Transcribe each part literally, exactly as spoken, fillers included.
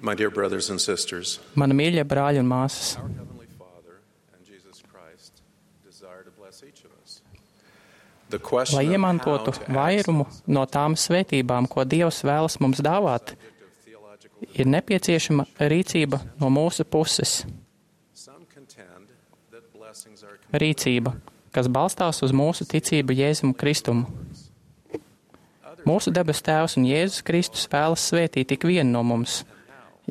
My dear brothers and sisters, Mani mīļie brāļi un māsas, our Heavenly Father and Jesus Christ desire to bless each of us. The question lai of iemantotu how to vairumu access no tām svētībām, ko Dievs vēlas mums dāvāt, ir nepieciešama rīcība no mūsu puses. some contend that blessings are Rīcība, kas balstās uz mūsu ticību Jēzum Kristumu. Mūsu debes Tēvs un Jēzus Kristus vēlas svētīt ik vienu no mums.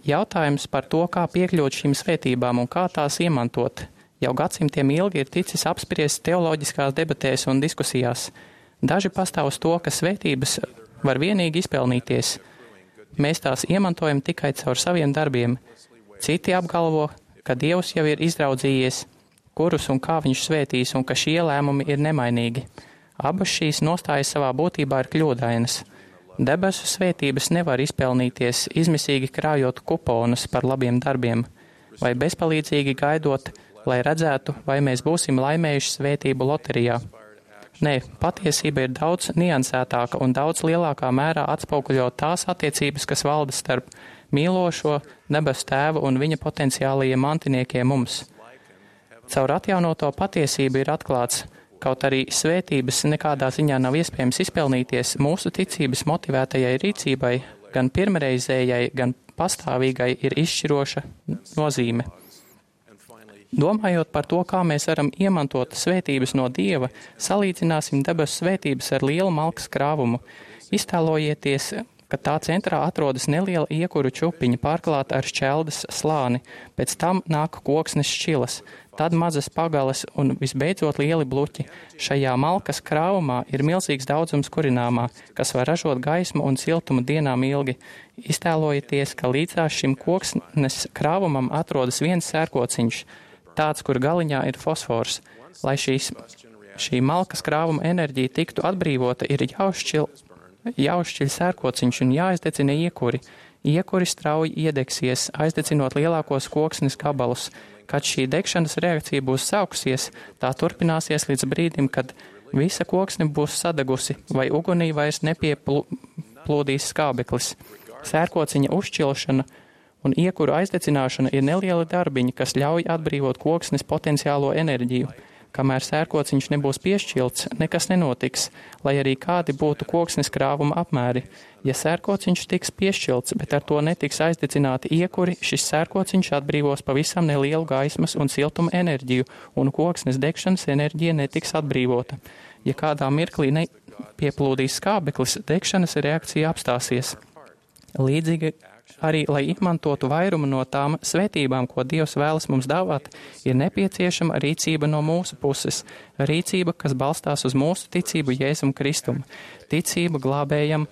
Jautājums par to, kā piekļūt šīm svētībām un kā tās iemantot, jau gadsimtiem ilgi ir ticis apspriests teoloģiskās debatēs un diskusijās. Daži pastāv uz to, ka svētības var vienīgi izpelnīties. Mēs tās iemantojam tikai caur saviem darbiem. Citi apgalvo, ka Dievs jau ir izraudzījies, kurus un kā viņš svētīs, un ka šie lēmumi ir nemainīgi. Abas šīs nostājas savā būtībā ir kļūdainas. Debesu svētības nevar izpelnīties, izmisīgi krājot kuponus par labiem darbiem, vai bezpalīdzīgi gaidot, lai redzētu, vai mēs būsim laimējuši svētību loterijā. Nē, patiesība ir daudz niansētāka un daudz lielākā mērā atspoguļo tās attiecības, kas valda starp mīlošo debesu Tēvu un viņa potenciālajiem mantiniekiem mums. Caur atjaunoto patiesību ir atklāts, kaut arī svētības nekādā ziņā nav iespējams izpelnīties, mūsu ticības motivētajai rīcībai, gan pirmreizējai, gan pastāvīgai ir izšķiroša nozīme. Domājot par to, kā mēs varam iemantot svētības no Dieva, salīdzināsim debesu svētības ar lielu malkas krāvumu. Iztēlojieties, ka tā centrā atrodas neliela iekuru čupiņa pārklāta ar šķeldas slāni, pēc tam nāk koksnes šķilas, tad mazas pagales un visbeidzot lieli bluķi. Šajā malkas krāvumā ir milzīgs daudzums kurināmā, kas var ražot gaismu un siltumu dienām ilgi. Iztēlojieties, ka līdzās šim koksnes krāvumam atrodas viens sērkociņš, tāds, kur galiņā ir fosfors. Lai šīs, šī malkas krāvuma enerģija tiktu atbrīvota, ir jāuzšķil, jāuzšķiļ sērkociņš un jāizdedzina iekuri. Iekuri strauji iedegsies, aizdedzinot lielākos koksnes gabalus. Kad šī degšanas reakcija būs sākusies, tā turpināsies līdz brīdim, kad visa koksne būs sadegusi vai ugunī vairs nepieplūdīs skābeklis. Sērkociņa uzšķilšana un iekuru aizdedzināšana ir nelieli darbiņi, kas ļauj atbrīvot koksnes potenciālo enerģiju. Kamēr sērkociņš nebūs piešķilts, nekas nenotiks, lai arī kādi būtu koksnes krāvuma apmēri. Ja sērkociņš tiks piešķilts, bet ar to netiks aizdedzināti iekuri, šis sērkociņš atbrīvos pavisam nelielu gaismas un siltuma enerģiju, un koksnes degšanas enerģija netiks atbrīvota. Ja kādā mirklī nepieplūdīs skābeklis, degšanas reakcija apstāsies. Līdzīgi arī, lai izmantotu vairumu no tām svētībām, ko Dievs vēlas mums dāvāt, ir nepieciešama rīcība no mūsu puses. Rīcība, kas balstās uz mūsu ticību Jēzum Kristum. Ticība glābējam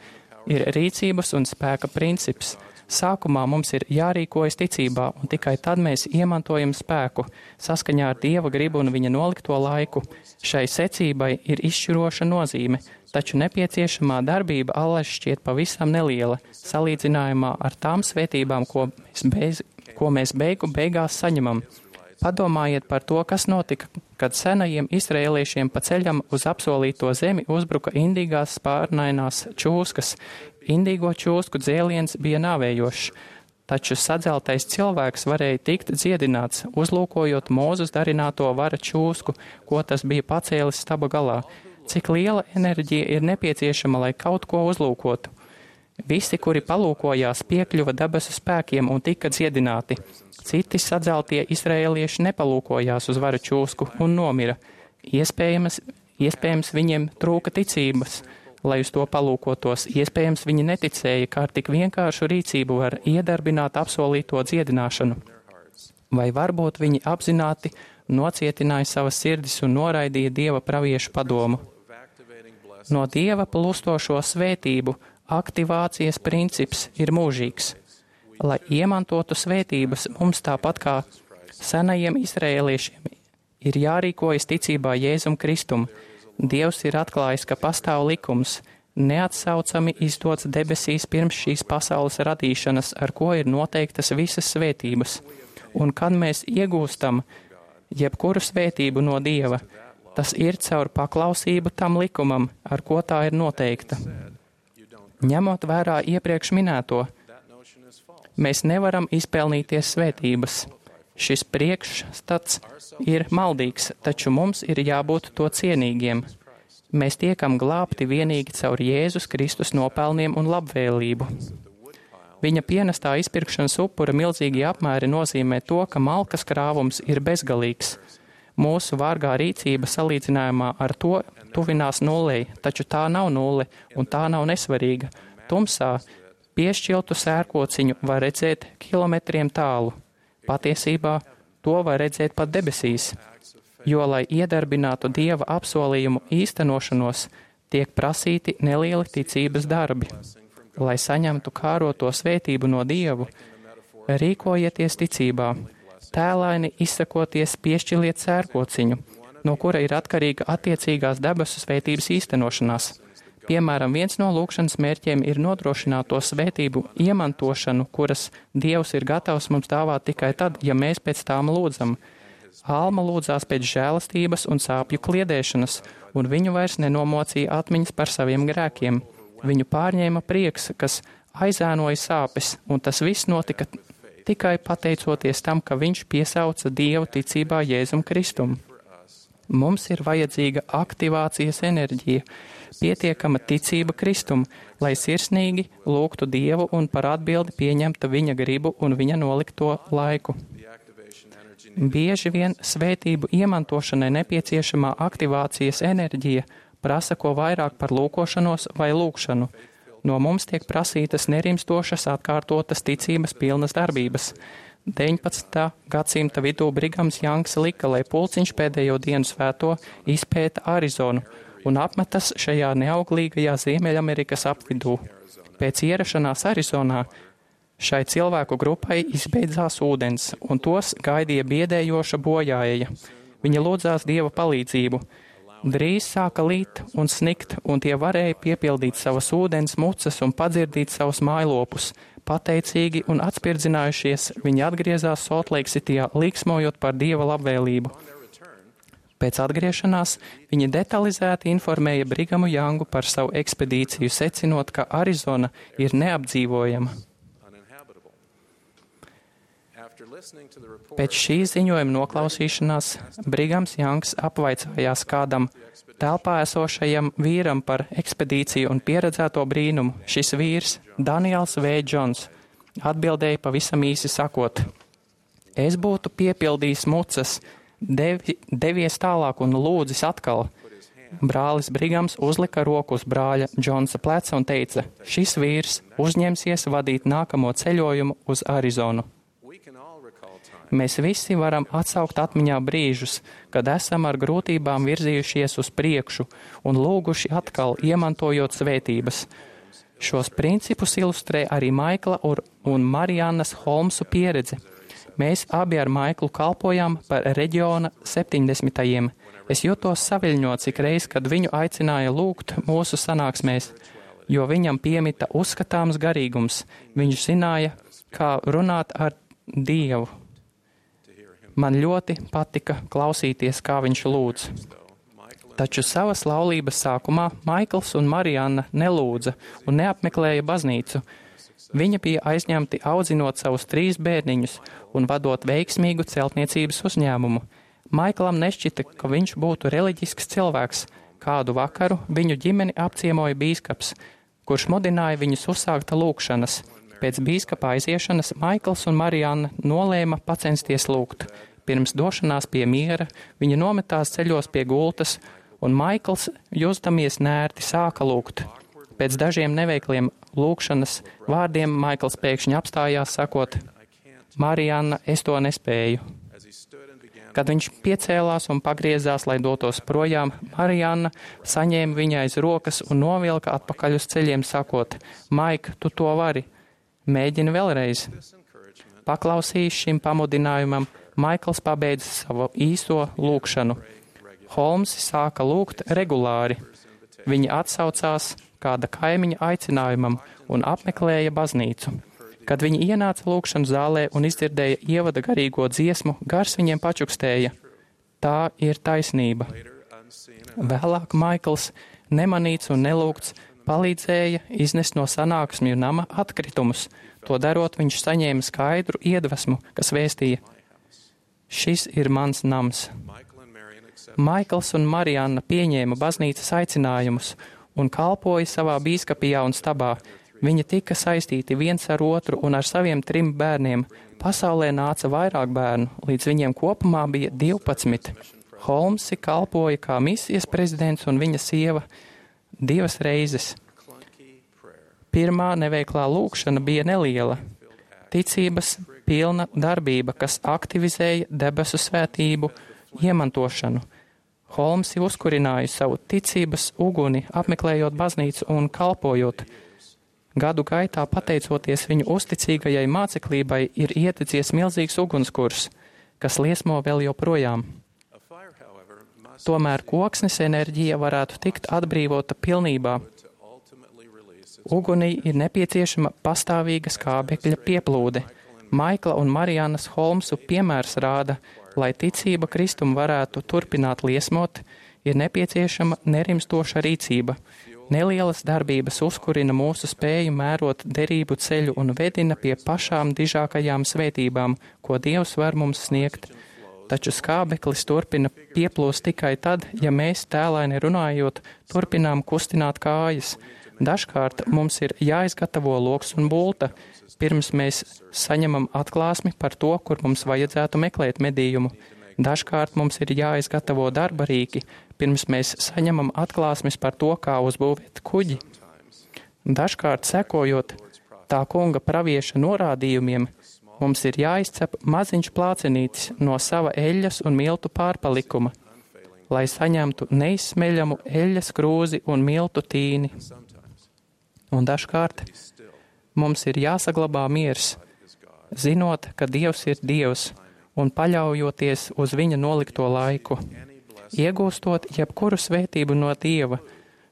ir rīcības un spēka princips. Sākumā mums ir jārīkojas ticībā, un tikai tad mēs iemantojam spēku, saskaņā ar Dieva gribu un viņa nolikto laiku. Šai secībai ir izšķiroša nozīme, taču nepieciešamā darbība allaž šķiet pavisam neliela, salīdzinājumā ar tām svētībām, ko mēs, beig, ko mēs beigu beigās saņemam. Padomājiet par to, kas notika, kad senajiem izraēliešiem pa ceļam uz apsolīto zemi uzbruka indīgās spārnainās čūskas. Indīgo čūsku dzēliens bija nāvējošs, taču sadzeltais cilvēks varēja tikt dziedināts, uzlūkojot Mūzes darināto vara čūsku, ko tas bija pacēlis staba galā. Cik liela enerģija ir nepieciešama, lai kaut ko uzlūkotu? Visi, kuri palūkojās, piekļuva debesu spēkiem un tika dziedināti. Citi sadzeltie izraēlieši nepalūkojās uz varu čūsku un nomira. Iespējams, iespējams viņiem trūka ticības, lai uz to palūkotos. Iespējams, viņi neticēja, kā ar tik vienkāršu rīcību var iedarbināt apsolīto dziedināšanu. Vai varbūt viņi apzināti nocietināja savas sirdis un noraidīja Dieva praviešu padomu. No Dieva plūstošo svētību aktivācijas princips ir mūžīgs. Lai iemantotu svētības, mums tāpat kā senajiem izraēliešiem ir jārīkojas ticībā Jēzum Kristum. Dievs ir atklājis, ka pastāv likums, neatsaucami izdots debesīs pirms šīs pasaules radīšanas, ar ko ir noteiktas visas svētības. Un kad mēs iegūstam jebkuru svētību no Dieva, tas ir caur paklausību tam likumam, ar ko tā ir noteikta. Ņemot vērā iepriekš minēto, Mēs nevaram izpelnīties svētības. Šis priekšstats ir maldīgs, taču mums ir jābūt to cienīgiem. Mēs tiekam glābti vienīgi caur Jēzus Kristus nopelniem un labvēlību. Viņa pienestā izpirkšanas upura milzīgi apmēri nozīmē to, ka malkas krāvums ir bezgalīgs. Mūsu vārgā rīcība salīdzinājumā ar to tuvinās nulei, taču tā nav nulle un tā nav nesvarīga. Tumsā piešķiltu sērkociņu var redzēt kilometriem tālu. Patiesībā to var redzēt pat debesīs, jo, lai iedarbinātu Dieva apsolījumu īstenošanos, tiek prasīti nelieli ticības darbi. Lai saņemtu kāroto svētību no Dievu, rīkojieties ticībā, tēlaini izsakoties piešķiliet sērkociņu, no kura ir atkarīga attiecīgās debesu svētības īstenošanās. Piemēram, viens no lūkšanas mērķiem ir nodrošināt to svētību iemantošanu, kuras Dievs ir gatavs mums dāvāt tikai tad, ja mēs pēc tām lūdzam. Alma lūdzās pēc žēlastības un sāpju kliedēšanas, un viņu vairs nenomocīja atmiņas par saviem grēkiem. Viņu pārņēma prieks, kas aizēnoja sāpes, un tas viss notika tikai pateicoties tam, ka viņš piesauca Dievu ticībā Jēzum Kristum. Mums ir vajadzīga aktivācijas enerģija, pietiekama ticība Kristum, lai sirsnīgi lūgtu Dievu un par atbildi pieņemta viņa gribu un viņa nolikto laiku. Bieži vien svētību iemantošanai nepieciešamā aktivācijas enerģija prasa ko vairāk par lūkošanos vai lūkšanu. No mums tiek prasītas nerimstošas atkārtotas ticības pilnas darbības. deviņpadsmitā gadsimta vidū Brigams Jangs lika, lai pulciņš pēdējo dienu svēto izpēta Arizonu un apmetas šajā neauglīgajā Ziemeļamerikas apvidū. Pēc ierašanās Arizonā šai cilvēku grupai izbeidzās ūdens, un tos gaidīja biedējoša bojāeja. Viņa lūdzās Dieva palīdzību. Drīz sāka līt un snikt, un tie varēja piepildīt savas ūdens mucas un padzirdīt savus mājlopus. Pateicīgi un atspirdzinājušies, viņi atgriezās Soltleiksitijā, līksmojot par Dieva labvēlību. Pēc atgriešanās viņi detalizēti informēja Brigamu Jangu par savu ekspedīciju, secinot, ka Arizona ir neapdzīvojama. Pēc šī ziņojuma noklausīšanās Brigams Jangs apvaicājās kādam telpā esošajam vīram par ekspedīciju un pieredzēto brīnumu. Šis vīrs, Daniels V. Džons, atbildēja pavisam īsi sakot: Es būtu piepildījis mucas, devi, devies tālāk un lūdzis atkal. Brālis Brigams uzlika roku uz brāļa Džonsa pleca un teica: Šis vīrs uzņemsies vadīt nākamo ceļojumu uz Arizonu. Mēs visi varam atsaukt atmiņā brīžus, kad esam ar grūtībām virzījušies uz priekšu un lūguši atkal, iemantojot svētības. Šos principus ilustrē arī Maikla un Mariannas Holmsu pieredze. Mēs abi ar Maiklu kalpojām par reģiona septiņdesmitajiem. Es jutos saviļņots ik reiz, kad viņu aicināja lūgt mūsu sanāksmēs, jo viņam piemita uzskatāms garīgums. Viņš zināja, kā runāt ar Dievu. Man ļoti patika klausīties, kā viņš lūdz. Taču savas laulības sākumā Maikls un Marianna nelūdza un neapmeklēja baznīcu. Viņa bija aizņemti audzinot savus trīs bērniņus un vadot veiksmīgu celtniecības uzņēmumu. Maiklam nešķita, ka viņš būtu reliģisks cilvēks. Kādu vakaru viņu ģimeni apciemoja bīskaps, kurš mudināja viņus uzsākt lūkšanas. Pēc bīskapa aiziešanas Maikls un Marianna nolēma pacensties lūgt. Pirms došanās pie miera viņa nometās ceļos pie gultas, un Maikls, justamies nērti, sāka lūgt. Pēc dažiem neveikliem lūkšanas vārdiem Maikls pēkšņi apstājās, sakot: Marianna, es to nespēju. Kad viņš piecēlās un pagriezās, lai dotos projām, Marianna saņēma viņai aiz rokas un novilka atpakaļ uz ceļiem, sakot: Maik, tu to vari! Mēģini vēlreiz. Paklausījis šim pamudinājumam, Maikls pabeidza savu īso lūkšanu. Holmsi sāka lūgt regulāri. Viņi atsaucās kāda kaimiņa aicinājumam un apmeklēja baznīcu. Kad viņi ienāca lūkšanu zālē un izdzirdēja ievada garīgo dziesmu, gars viņiem pačukstēja: Tā ir taisnība. Vēlāk Maikls, nemanīts un nelūgts, palīdzēja iznest no sanāksmju nama atkritumus. To darot, viņš saņēma skaidru iedvesmu, kas vēstīja: šis ir mans nams. Maikls un Marianna pieņēma baznīcas aicinājumus un kalpoja savā bīskapijā un stabā. Viņi tika saistīti viens ar otru un ar saviem trim bērniem. Pasaulē nāca vairāk bērnu, līdz viņiem kopumā bija divpadsmit. Holmsi kalpoja kā misijas prezidents un viņa sieva divas reizes. Pirmā neveiklā lūkšana bija neliela, ticības pilna darbība, kas aktivizēja debesu svētību iemantošanu. Holmsi uzkurināja savu ticības uguni, apmeklējot baznīcu un kalpojot. Gadu gaitā, pateicoties viņu uzticīgajai māceklībai, ir iededzies milzīgs ugunskurs, kas liesmo vēl joprojām. Tomēr koksnes enerģija varētu tikt atbrīvota pilnībā. Ugunī ir nepieciešama pastāvīga skābekļa pieplūde. Maikla un Mariannas Holmsu piemērs rāda, lai ticība Kristum varētu turpināt liesmot, ir nepieciešama nerimstoša rīcība. Nelielas darbības uzkurina mūsu spēju mērot derību ceļu un vedina pie pašām dižākajām svētībām, ko Dievs var mums sniegt. Taču skābeklis turpina pieplūst tikai tad, ja mēs, tēlaini runājot, turpinām kustināt kājas. Dažkārt mums ir jāizgatavo loks un bulta, pirms mēs saņemam atklāsmi par to, kur mums vajadzētu meklēt medījumu. Dažkārt mums ir jāizgatavo darba rīki, pirms mēs saņemam atklāsmes par to, kā uzbūvēt kuģi. Dažkārt, sekojot tā kunga pravieša norādījumiem, mums ir jāizcep maziņš plācenītis no sava eļļas un miltu pārpalikuma, lai saņemtu neizsmeļamu eļļas krūzi un miltu tīni. Un dažkārt mums ir jāsaglabā miers, zinot, ka Dievs ir Dievs, un paļaujoties uz viņa nolikto laiku. Iegūstot jebkuru svētību no Dieva,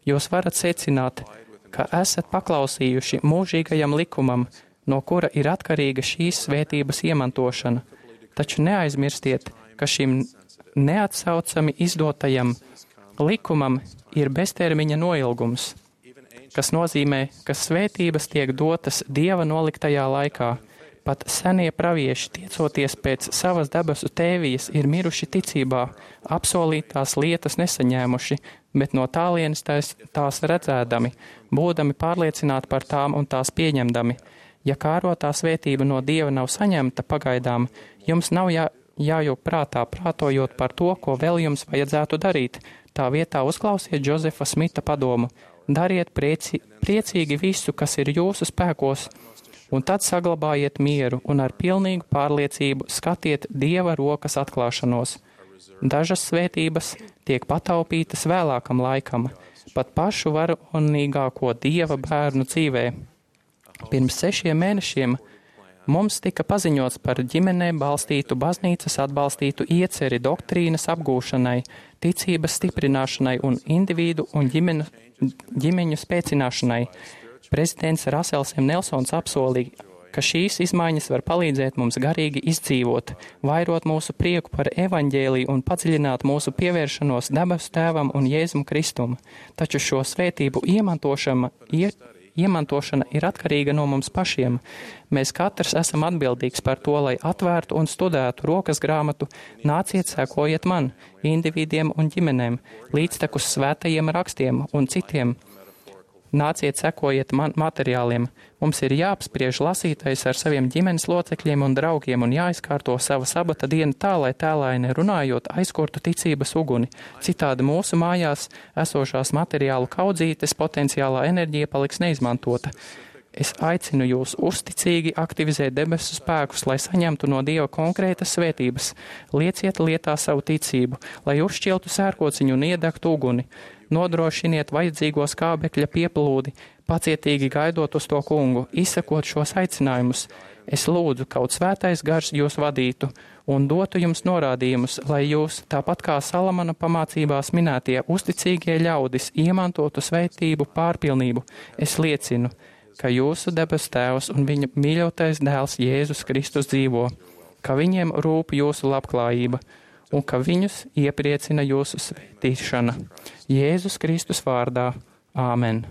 jūs varat secināt, ka esat paklausījuši mūžīgajam likumam, no kura ir atkarīga šīs svētības iemantošana. Taču neaizmirstiet, ka šim neatsaucami izdotajam likumam ir beztermiņa noilgums, kas nozīmē, ka svētības tiek dotas Dieva noliktajā laikā. Pat senie pravieši, tiecoties pēc savas debesu tēvijas, ir miruši ticībā, apsolītās lietas nesaņēmuši, bet no tālienes tās, tās redzēdami, būdami pārliecināti par tām un tās pieņemdami. Ja kārotā svētība no Dieva nav saņemta pagaidām, jums nav jā, jājūg prātā, prātojot par to, ko vēl jums vajadzētu darīt. Tā vietā uzklausiet Džozefa Smita padomu. Dariet prieci, priecīgi visu, kas ir jūsu spēkos, un tad saglabājiet mieru un ar pilnīgu pārliecību skatiet Dieva rokas atklāšanos. Dažas svētības tiek pataupītas vēlākam laikam, pat pašu varonīgāko Dieva bērnu dzīvē. Pirms sešiem mēnešiem mums tika paziņots par ģimenē balstītu baznīcas atbalstītu ieceri doktrīnas apgūšanai, ticības stiprināšanai un individu un ģimenu, ģimeņu spēcināšanai. Prezidents Rasels M. Nelsons apsolīja, ka šīs izmaiņas var palīdzēt mums garīgi izdzīvot, vairot mūsu prieku par evaņģēliju un padziļināt mūsu pievēršanos debesu Tēvam un Jēzum Kristum. Taču šo svētību iemantošana, ie, iemantošana ir atkarīga no mums pašiem. Mēs katrs esam atbildīgs par to, lai atvērtu un studētu rokas grāmatu Nāciet, sekojiet man, individiem un ģimenēm, līdztekus svētajiem rakstiem un citiem. Nāciet, sekojiet man materiāliem. Mums ir jāapspriež lasītais ar saviem ģimenes locekļiem un draugiem un jāizkārto sava sabata diena tā, lai tēlaini runājot aizkurtu ticības uguni. Citādi mūsu mājās esošās materiālu kaudzītes potenciālā enerģija paliks neizmantota. Es aicinu jūs uzticīgi aktivizēt debesu spēkus, lai saņemtu no Dieva konkrētas svētības. Lieciet lietā savu ticību, lai uzšķiltu sērkociņu un iedegtu uguni. Nodrošiniet vajadzīgo skābekļa pieplūdi, pacietīgi gaidot uz to kungu, izsakot šos aicinājumus. Es lūdzu, kaut svētais gars jūs vadītu un dotu jums norādījumus, lai jūs, tāpat kā Salamana pamācībās minētie uzticīgie ļaudis, iemantotu svētību pārpilnību. Es liecinu, ka jūsu debesu Tēvs un viņa mīļotais dēls Jēzus Kristus dzīvo, ka viņiem rūp jūsu labklājība un ka viņus iepriecina jūsu svētīšana. Jēzus Kristus vārdā. Āmen.